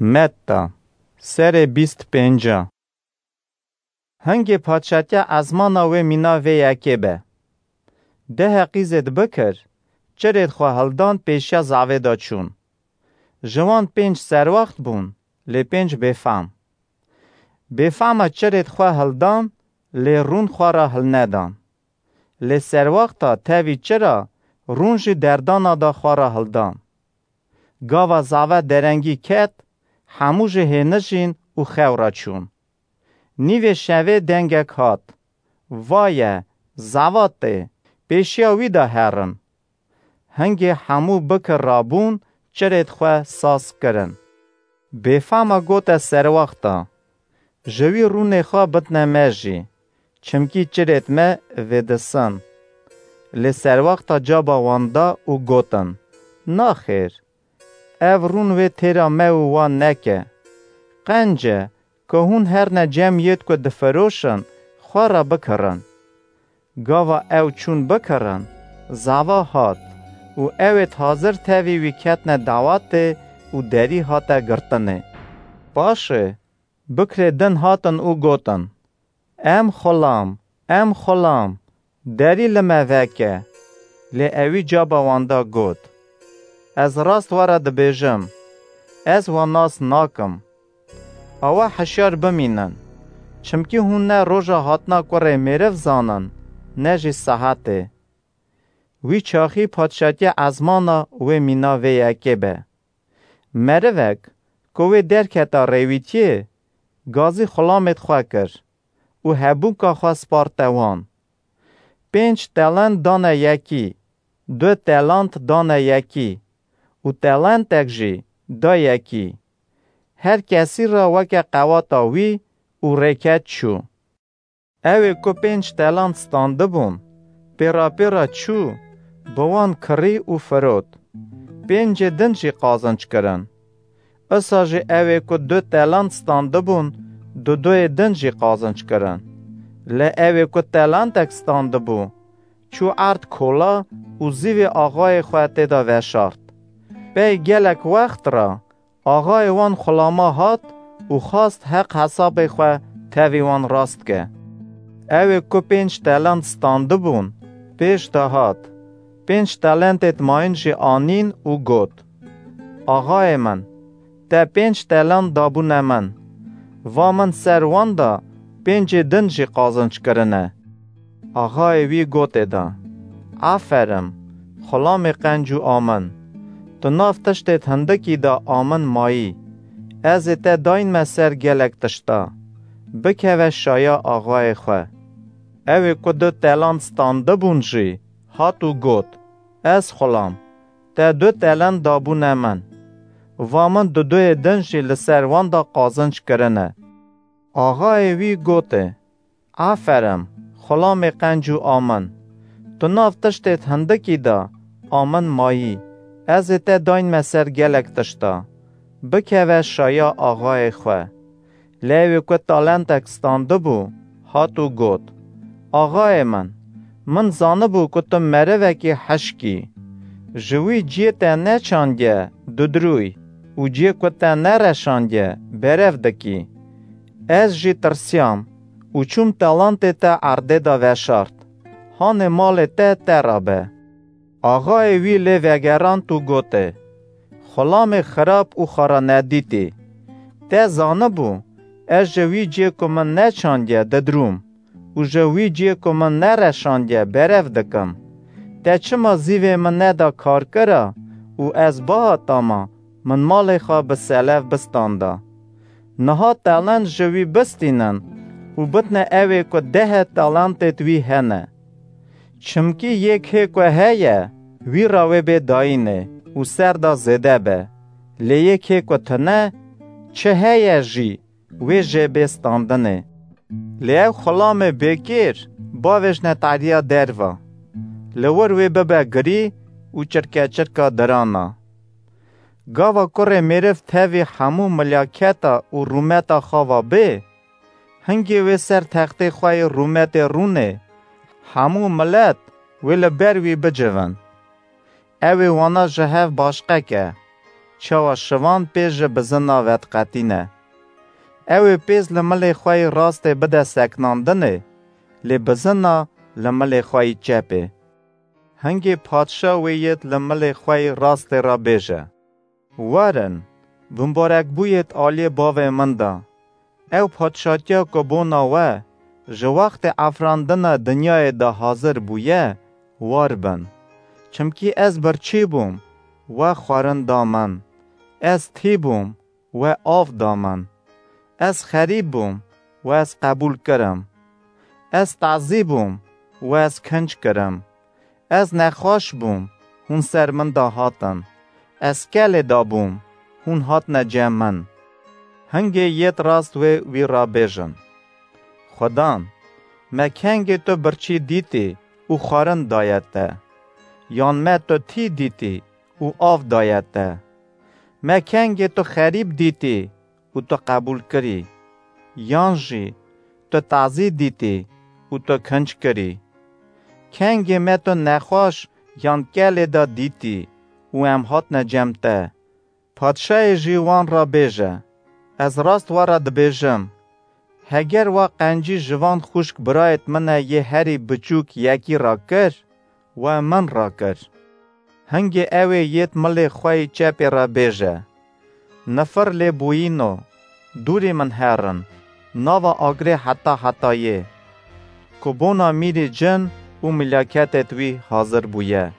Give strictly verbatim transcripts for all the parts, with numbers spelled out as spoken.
Metta, serê bîst pênca. Hingê padşatiya ezmana wê mîna vê yekê be. Dehê qîzêd bikir, çirêd xwe hildan pêşiya zavê de çûn. Ji wan pênc serwext bûn, lê pênc bêfam. Bêfama çirêd xwe hildan, lê rûn xwe re hilnedan. Lê serwexta tevî çira rûn jî derdana da xwe re hildan. Gava zave derengî ket, hemû jî hênijîn û xew re çûn. Nîvê şevê dengek hat: "Vaye, zava tê, pêşiya wî de herin." Hingê hemû bikir rabûn, çirêd xwe saz kirin. Bêfama gote serwexta: "Ji wî rûnê xwe bidne me jî, çimkî çirêd me vêdisin." Lê serwexta caba wan da û gotin: "Naxêr, ev rûn wê têra me û wan neke. Qenc e ku hûn herne cem yêd ku difiroşin, xwe re bikirin." Gava ew çûn bikirin, zava hat û ewêd hazir tevî wî ketne dawatê û derî hate girtinê. Paşê bikirê din hatin û gotin: "Em xulam, em xulam, derî li me veke." Lê ewî caba wan da got: "Ez rast we re dibêjim, ez we nas nakim. Awa hişyar bimînin, çimkî hûn ne roja hatina kurê mêriv zanin, ne jî saetê." Wî çaxî padşatiya ezmana wê mîna vê yekê be. Merivek ku wê derketa rêwîtiyê, gazî xulamêd xwe kir û hebûnka xwe sparte wan. Pênc telent dane yekî, du telant dane yekî û telentek jî da yekî. Her kesî re weke qewata wî û rêket çû. Ewê ku pênc telant standibûn, pêra pêra çû, bi wan kirî û firot. Pêncê din jî qazinc kirin. Isa jî ewê ku du telant standibûn, duduyê din jî qazinc kirin. Lê ewê ku telantek standibû, çû erd kola û zîvê axayê xwe tê de veşart. Pey gelek wext re axayê wan xulama hat û xwast heq hesabê xwe tevî wan rast ke. Ewê ku pênc telant standibûn, pêş de hat, pênc telentêd mayîn jî anîn û got: "Axayê min, te pênc telant dabûne min. Va min ser wan de pêncê din jî qazinc kirine." Axayê wî gotê de: "Aferin, xulamê qenc û amin. Tu nav tiştêd hindikî de amin mayî. Ez ê te dayînme ser gelek tişta. Bikeve şaya axayê xwe." Ewê ku du telant standibûn jî hat û got: "Ez xulam, te du telant dabûne min. Va min duduyê din jî li ser wan de qazinc kirine." Axayê wî gotê: "Aferin, xulamê qenc û amin. Tu nav tiştêd hindikî de amin mayî. Ez ê te dayînme ser gelek tişta. Bikeve şaya axayê xwe." Lê ewê ku talentek standibû, hat û got: "Axayê min, min zanibû ku tu merivekî hişk î. Ji wî ciyê te neçandiye dudrûy û ciyê ku te nereşandiye berev dikî. Ez jî tirsiyam û çûm talantê te erdê de veşart. Hanê malê te te re be." Axayê wî lê vegerand û gotê: "Xulamê xirab û xaranedîtî! Te zanibû, ez ji wî ciyê ku min neçandiye didrûm û ji wî ciyê ku min nereşandiye berev dikim. Te çima zîvê min neda karkira û ez bihatama min malê xwe bi selev bistanda? Niha talent ji wî bistînin û bidne ewê ku dehê talentêd wî hene. Çimkî yê kê ku heye, wî re wê bê dayînê û ser de zêde be. Lê yê kê ku tune, çi heye jî, wê jê bê standinê. Lê ew xulamê bêkêr bavêjne tariya derva, li wir wê bibe girî û çirkeçirka dirana. Gava kurê mêriv tevî hemû milyaketa û rûmeta xwe ve bê, hingê wê ser textê xwe yê rûmetê rûnê, hemû milet wê li ber wî bicivin. Ew ê wana ji hev başqe ke, çawa şivan pê ji bizina vediqetîne. Ew ê pêz li milê xwe yî rastê bide seknandinê, lê bizina li milê xwe yî çepê. Hingê padşa wê yêt li milê xwe yî rastê re bêje: Werin, bimbarekbûyêt aliyê bavê min de. Ew padşatiya ku bona we ji wextê efrandina dinyayê de hazir bûye, war bin. Çimkî ez birçî bûm, we xwarin da min. Ez tî bûm, we av da min. Ez xerîb bûm, we ez qebûl kirim. Ez tazî bûm, we ez kinc kirim. Ez nexweş bûm, hûn ser min de hatin. Ez kelê de bûm, hûn hatine cem min. Hingê yêt rast wê wî re bêjin: Xudan, me kengê tu birçî dîtî û xwarin daye te? Yan me tu tî dîtî û av daye te? Me kengê tu xerîb dîtî û tu qebûl kirî? Yan jî tu tazî dîtî û tu kinc kirî? Kengê me tu nexweş yan kelê de dîtî û em hatine cem te? Padşayê jî wan re bêje: Ez rast we re dibêjim, heger we qencî ji van xwişk birayêt min e yê herî biçûk yekî re kir, we min re kir. Hingê ew ê yêt milê xwe yî çepê re bêje: Nifir lê bûyîno, dûrî min herin, nava agirê heta hetayê, ku bona mîrî cin û mîlaketêt wî hazir bûye.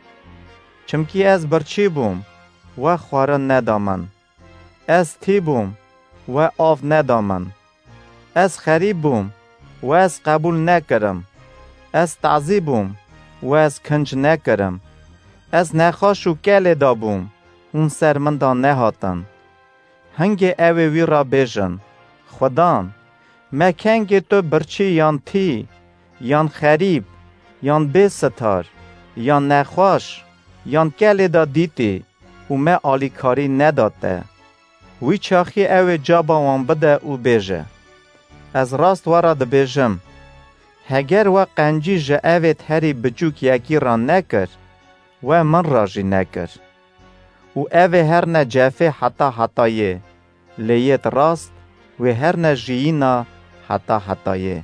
Çimkî ez birçî bûm, we xwarin neda min. Ez tî bûm, we av neda min. Ez xerîb bûm, we ez qebûl nekirim. Ez tazî bûm, we ez kinc nekirim. Ez nexweş û kelê de bûm, hûn ser min de nehatin. Hingê ew ê wî re bêjin: Xudan, me kengê tu birçî yan tî, yan xerîb, yan bê sitar, yan nexweş, yan kelê de dîtî û me alîkarî neda te? Wî çaxî ew ê caba wan bide û bêje: Ez rast we re dibêjim, heger we qencî ji evêt herî biçûk yekî re nekir, we min re jî nekir. Û ev ê herne cefê heta hetayê, lê yêt rast wê herne jiyîna heta hetayê.